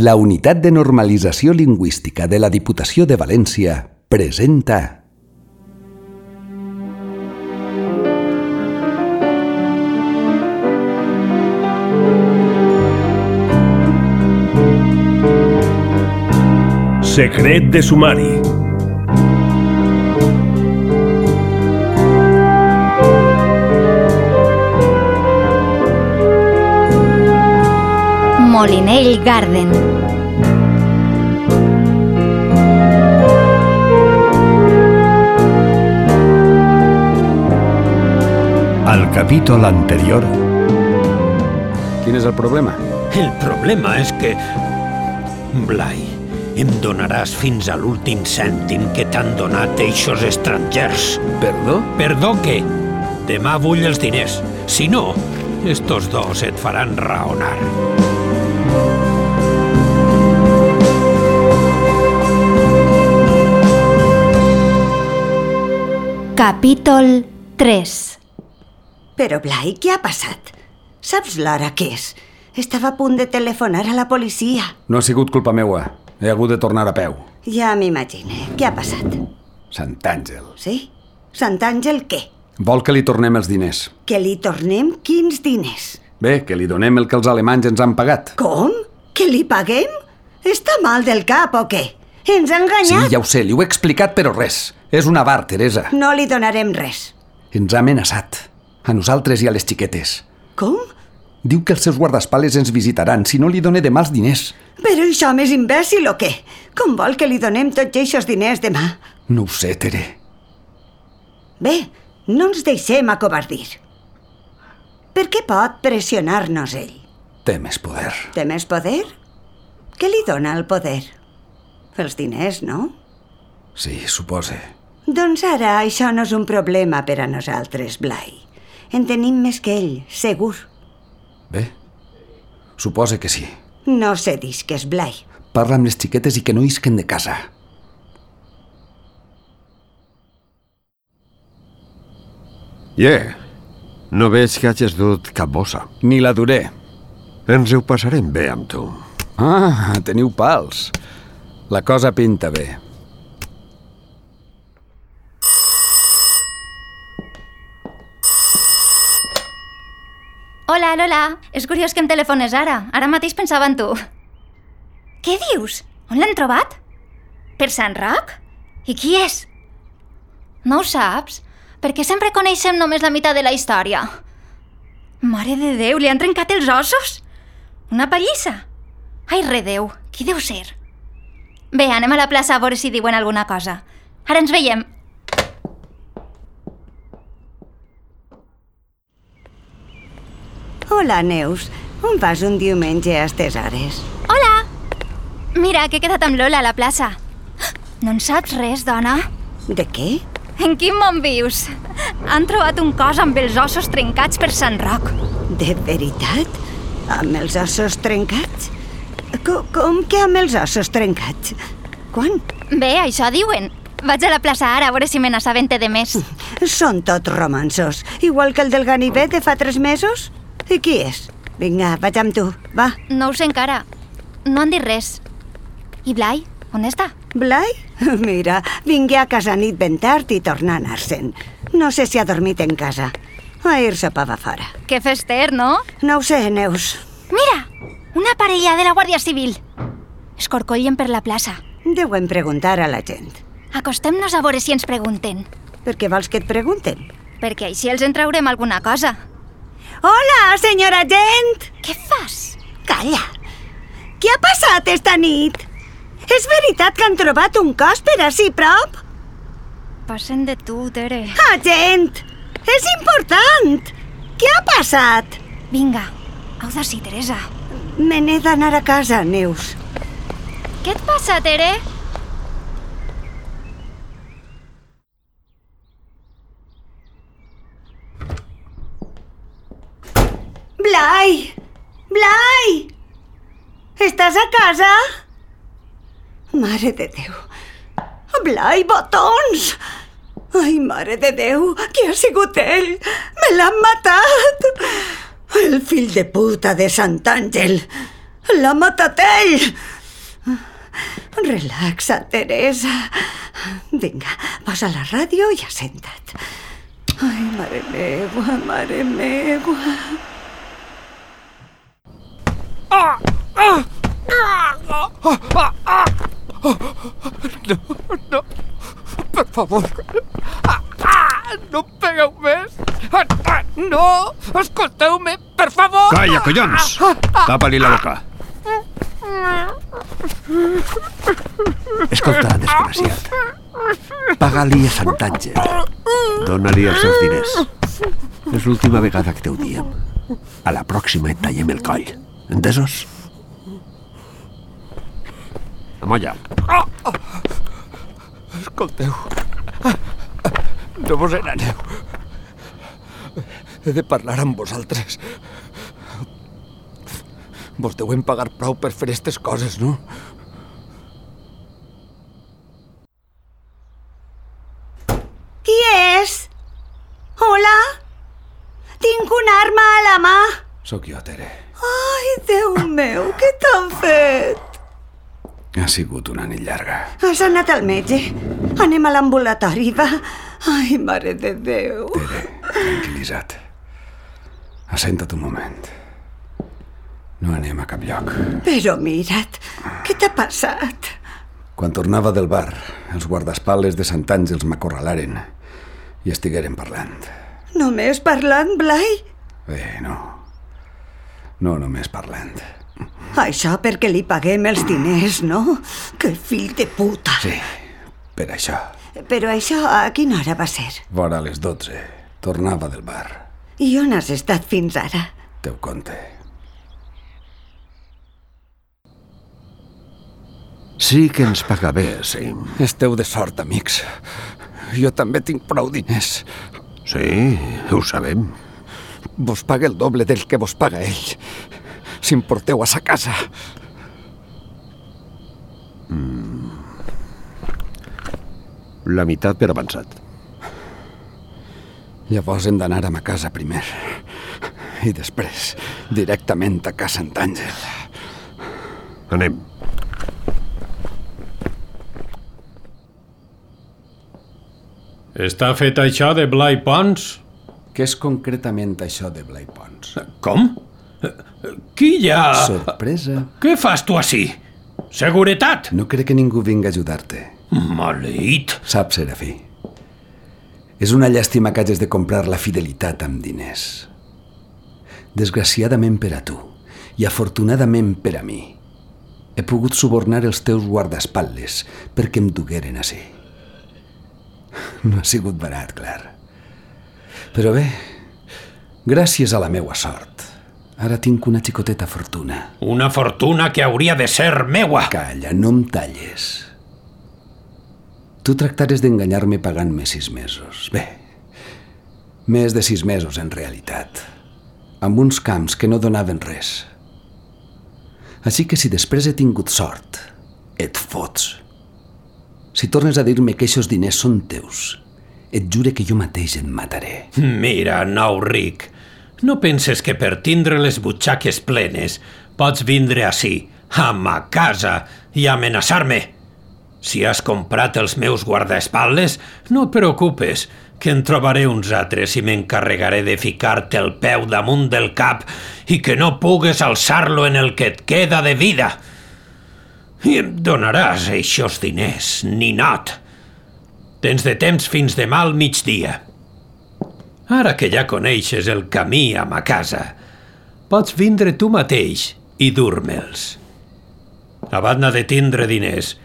La Unitat de Normalització Lingüística de la Diputació de València presenta Secret de sumari. Molinell Garden. Al capítol anterior. Quin és el problema? El problema és que... Blai, em donaràs fins a l'últim cèntim que t'han donat eixos estrangers. Perdó? Perdó què? Demà vull els diners. Si no, estos dos et faran raonar. Capítol 3. Però, Blai, què ha passat? Saps l'hora que és? Estava a punt de telefonar a la policia. No ha sigut culpa meua. He hagut de tornar a peu. Ja m'imagine. Què ha passat? Sant Àngel. Sí? Sant Àngel què? Vol que li tornem els diners. Que li tornem quins diners? Bé, que li donem el que els alemanys ens han pagat. Com? Que li paguem? Està mal del cap o què? Ens ha enganyat? Sí, ja ho sé, li ho he explicat, però res. És una bar, Teresa. No li donarem res. Ens ha amenaçat. A nosaltres i a les xiquetes. Com? Diu que els seus guardaespaldes ens visitaran si no li done demà els diners. Però això és imbècil o què? Com vol que li donem tots aquests diners demà? No ho sé, Tere. Bé, no ens deixem acobardir. Per què pot pressionar-nos ell? Té més poder. Té més poder? Què li dona el poder? Els diners, no? Sí, supose. Doncs ara això no és un problema per a nosaltres, Blai. En tenim més que ell, segur. Bé, supose que sí. No cedisques, Blai. Parla amb les xiquetes i que no isquen de casa. No veig que hagis dut cap bossa. Ni la duré. Ens ho passarem bé amb tu. Ah, teniu pals. La cosa pinta bé. Hola, Lola. És curiós que em telefones ara. Ara mateix pensava en tu. Què dius? On l'han trobat? Per Sant Roc? I qui és? No ho saps? Perquè sempre coneixem només la meitat de la història. Mare de Déu, li han trencat els ossos? Una pallissa? Ai, redeu, qui deu ser? Bé, anem a la plaça a veure si diuen alguna cosa. Ara ens veiem. Hola, Neus. On vas un diumenge a estes hores? Hola! Mira, que he quedat amb Lola a la plaça. No en saps res, dona? De què? En quin món vius? Han trobat un cos amb els ossos trencats per Sant Roc. De veritat? Amb els ossos trencats? Com que amb els ossos trencats? Quan? Bé, això diuen. Vaig a la plaça ara a veure si me n'assabente de més. Són tots romanços. Igual que el del ganivet de fa 3 mesos. I qui és? Vinga, vaig amb tu, va. No ho sé encara. No han dit res. I Blai, on està? Blai? Mira, vingui a casa nit ben tard i torna a anar-se'n. No sé si ha dormit en casa. Ahir sopava fora. Que fester, no? No ho sé, Neus. Mira, una parella de la Guàrdia Civil. Escorcollen per la plaça. Deuen preguntar a la gent. Acostem-nos a veure si ens pregunten. Per què vols que et pregunten? Perquè així els en traurem alguna cosa. Hola, senyora gent! Què fas? Calla. Què ha passat esta nit? És veritat que han trobat un cos per ací prop? Passen de tu, Tere. Ah, gent! És important! Què ha passat? Vinga, au d'ací, Teresa. Me n'he d'anar a casa, Neus. Què et passa, Tere? Blai! Blai! Estàs a casa? Mare de Déu. Blai, botons! Ai, mare de Déu, qui ha sigut ell? Me l'han matat! El fill de puta de Sant Àngel! L'ha matat ell! Relaxa't, Teresa. Vinga, posa la ràdio i assenta't. Ai, mare meua, mare meua. No, per favor. No em pegueu més. No, escolteu-me, per favor. Calla, collons! Tapa-li la boca. Escolta, desgraciat. Paga-li a Sant Àngel. Dóna-li els seus diners. És l'última vegada que t'ho diem. A la pròxima et tallem el coll. Entesos? Amolla. Escolteu. No vos n'aneu. He de parlar amb vosaltres. Vos deuen pagar prou per fer aquestes coses, no? Qui és? Hola? Tinc una arma a la mà. Sóc jo, Tere. Ai, Déu meu, què t'han fet? Ha sigut una nit llarga. Has anat al metge? Anem a l'ambulatori, va. Ai, mare de Déu. Tere, tranquil·litza't. Assenta't un moment. No anem a cap lloc. Però mira't, què t'ha passat? Quan tornava del bar, els guardaespatlles de Sant Àngels m'acorralaren i estigueren parlant. Només parlant, Blai? No. No només parlant. Això perquè li paguem els diners, no? Que fill de puta. Sí, per això. Però això a quina hora va ser? Vora les 12. Tornava del bar. I on has estat fins ara? Teu conte. Sí que ens paga bé, sí. Esteu de sort, amics. Jo també tinc prou diners. Sí, ho sabem. Vos paga el doble del que vos paga ell. Si em porteu a sa casa. La meitat per avançat. Llavors hem d'anar a ma casa primer. I després, directament a casa Sant Àngel. Anem. Està fet això de Blai Pons? Què és concretament això de Blai Pons? Com? Qui hi ha? Sorpresa. Què fas tu ací? Seguretat! No crec que ningú vingui a ajudar-te. Maleït! Saps, Serafí? És una llàstima que hagis de comprar la fidelitat amb diners. Desgraciadament per a tu i afortunadament per a mi, he pogut subornar els teus guardaespatlles perquè em dugueren ací. No ha sigut barat, clar. Però bé, gràcies a la meua sort, ara tinc una xicoteta fortuna. Una fortuna que hauria de ser meua! Calla, no em talles. Tu tractares d'enganyar-me pagant-me 6 mesos. Bé, més de 6 mesos en realitat, amb uns camps que no donaven res. Així que si després he tingut sort, et fots. Si tornes a dir-me que aquests diners són teus, et jure que jo mateix et mataré. Mira, nou ric, no penses que per tindre les butxaques plenes pots vindre ací, a ma casa, i amenaçar-me? Si has comprat els meus guardaespatlles, no et preocupes, que en trobaré uns altres i m'encarregaré de ficar-te el peu damunt del cap i que no pugues alçar-lo en el que et queda de vida. I em donaràs eixos diners, ninot. Tens de temps fins demà al migdia. Ara que ja coneixes el camí a ma casa, pots vindre tu mateix i dur-me'ls. A banda de tindre diners,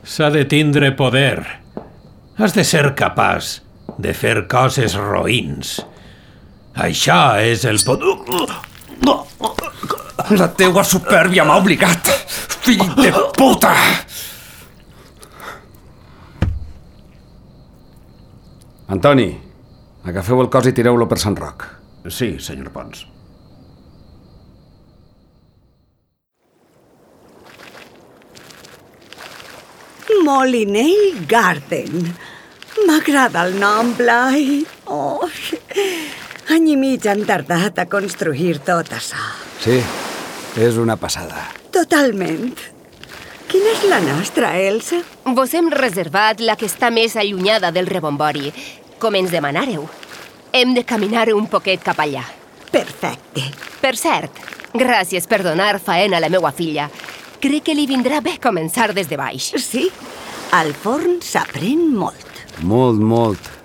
s'ha de tindre poder. Has de ser capaç de fer coses roïns. Això és el poder... La teua supèrbia m'ha obligat, fill de puta! Antoni, agafeu el cos i tireu-lo per Sant Roc. Sí, senyor Pons. Molinell Garden. M'agrada el nom, Blai. Oh, any i mig han tardat a construir tot això. Sí, és una passada. Totalment. Quina és la nostra, Elsa? Vos hem reservat la que està més allunyada del rebombori, com ens demanàreu. Hem de caminar un poquet cap allà. Perfecte. Per cert, gràcies per donar faena a la meua filla. Crec que li vindrà bé començar des de baix. Sí, al forn s'aprèn molt. Molt, molt.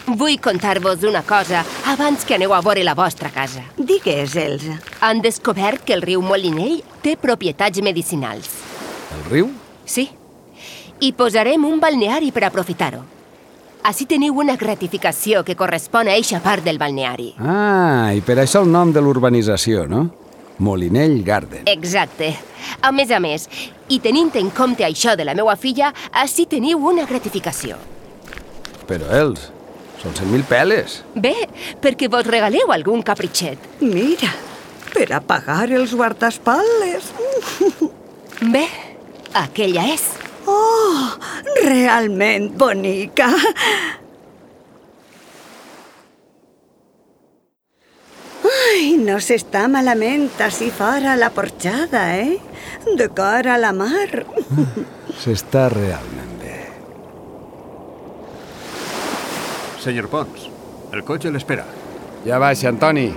Vull contar-vos una cosa abans que aneu a veure la vostra casa. Digues, Elsa. Han descobert que el riu Molinell té propietats medicinals. El riu? Sí. I posarem un balneari per aprofitar-ho. Així teniu una gratificació que correspon a eixa part del balneari. Ah, i per això el nom de l'urbanització, no? Molinell Garden. Exacte. A més, i tenint en compte això de la meua filla, així teniu una gratificació. Però, Els, són 100.000 peles. Bé, perquè vos regaleu algun capritxet. Mira, per a pagar els guardaespatlles. Bé, aquella és. Oh, realment bonica. Ai, no s'està malament així fora la porxada, De cara a la mar. S'està realment bé. Senyor Pons, el cotxe l'espera. Ja baixa, Antoni.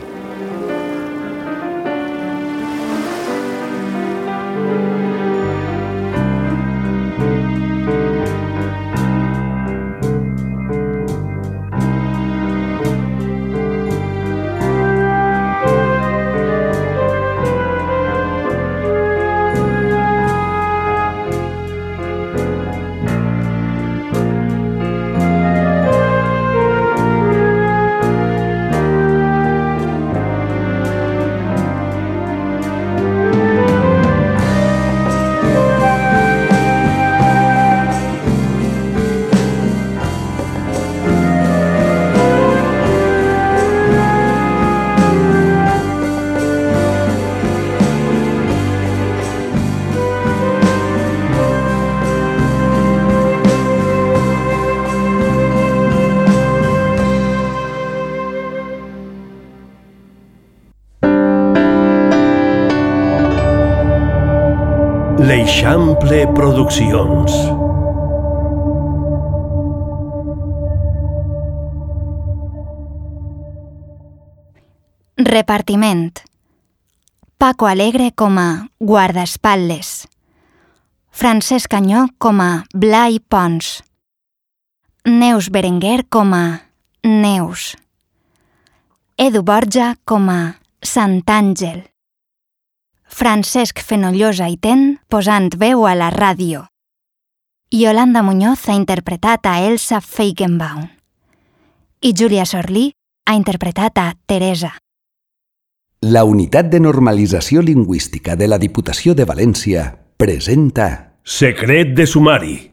L'Eixample Produccions. Repartiment. Paco Alegre com a guardaespatlles. Francesc Canyó com a Blai Pons. Neus Berenguer com a Neus. Edu Borja com a Sant Àngel. Francesc Fenollosa i Ten posant veu a la ràdio. Yolanda Muñoz ha interpretat a Elsa Feigenbaum. I Júlia Sorlí ha interpretat a Teresa. La Unitat de Normalització Lingüística de la Diputació de València presenta Secret de sumari.